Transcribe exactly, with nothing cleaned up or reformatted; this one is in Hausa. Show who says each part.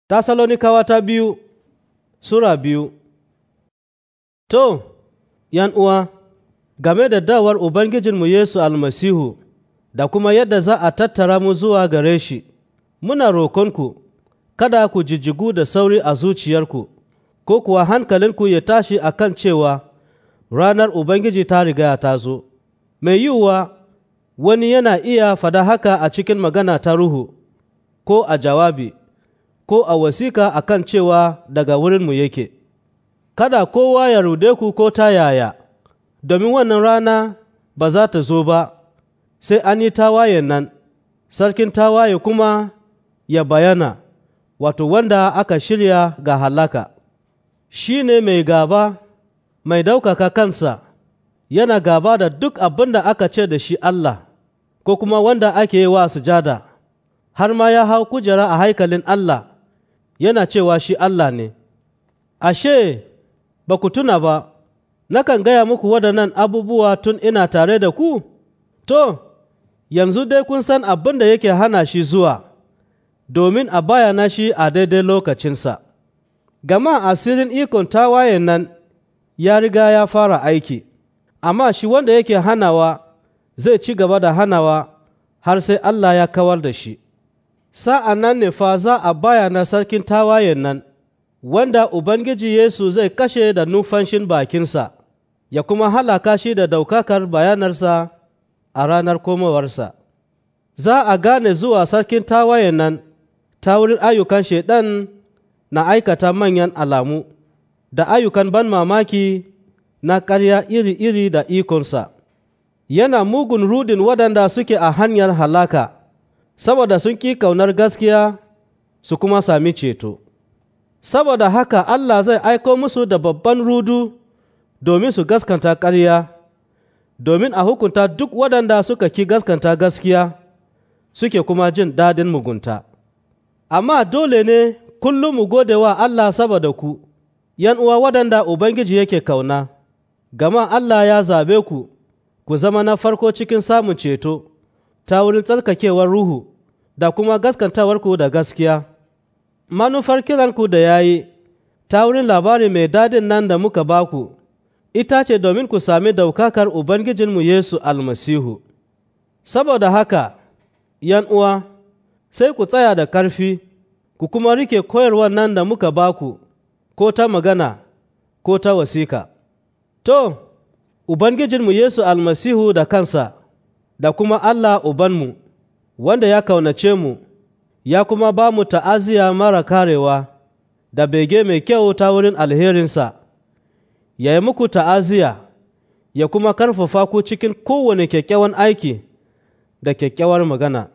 Speaker 1: Tasalonikawa ta biyu Sura biyu. To, uwa, game da dawar Ubangijinmu Yesu Almasihu da kuma yadda za a tattara mu zuwa gare shi, muna roƙonku, kada ku jijjigu da sauri a zuciyarku, ko kuwa hankalinku ya tashi a kan cewa ranar Ubangiji ta riga ta zo. Mai yiwuwa wani yana iya fada haka a cikin magana ta ruhu, ko a jawabi, ko a wasika a kan cewa daga wurinmu yake. Kada kowa ya rude ku ko ta yaya, domin wannan rana ba za ta zo ba, sai an yi tawayen nan, sarkin tawaye kuma ya bayana, wato wanda aka shirya ga halaka. Shi ne mai gaba, mai daukaka kansa, yana gaba da duk abin da aka ce da shi Allah, ko kuma wanda ake yi wa sujada, har ma ya hau kujera a haikalin Allah, yana cewa shi Allah ne. Ashe, ba ku tuna ba, nakan gaya muku waɗannan abubuwa tun ina tare da ku? To, yanzu dai kun san abin da yake hana shi zuwa, domin a bayana shi a daidai lokacinsa. Gama asirin ikon tawayen nan ya riga ya fara aiki, amma shi wanda yake hanawa zai ci gaba da hanawa har sai Allah ya kawar da shi. Sa'an nan ne fa za a bayana sarkin tawayen nan, wanda Ubangiji Yesu zai kashe da numfashin bakinsa, ya kuma halaka shi da daukakar bayanarsa a ranar komowarsa. Za a gane zuwa sarkin tawayen nan ta wurin ayyukan Shaiɗan na aikata manyan alamu, da ayyukan ban mamaki na ƙarya iri-iri da ikonsa. Yana mugun rudin waɗanda suke a hanyar halaka, saboda sun ƙi kaunar gaskiya su kuma sami ceto. Saboda haka Allah zai aiko musu da babban rudu domin su gaskanta ƙarya, domin a hukunta duk waɗanda suka ki gaskanta gaskiya suke kuma jin daɗin mugunta. Amma dole ne kullum mu gode wa Allah saboda ku, uwa waɗanda Ubangiji yake kauna, gama Allah ya zabe ku, ku zama na farko cikin samun ceto ta wurin tsarkakewar Ruhu da kuma gaskantawarku da gaskiya. Manufar kiranku da ya yi ta wurin labari mai dadin nan da muka baku, ita ce domin ku sami daukakar Ubangijinmu Yesu Almasihu. Saboda haka, uwa, sai ku tsaya da ƙarfi, ku kuma rike koyarwar nan da muka baku, ko ta magana, ko ta wasika. To, Ubangijinmu Yesu Almasihu da kansa, da kuma Allah Ubanmu, wanda ya kaunace mu, ya kuma ba mu ta'aziyya mara karewa da bege mai kyau ta wurin alherinsa, ya yi muku ta'aziyya, ya kuma karfafa ku cikin kowane kyakkyawan aiki da kyakkyawar magana.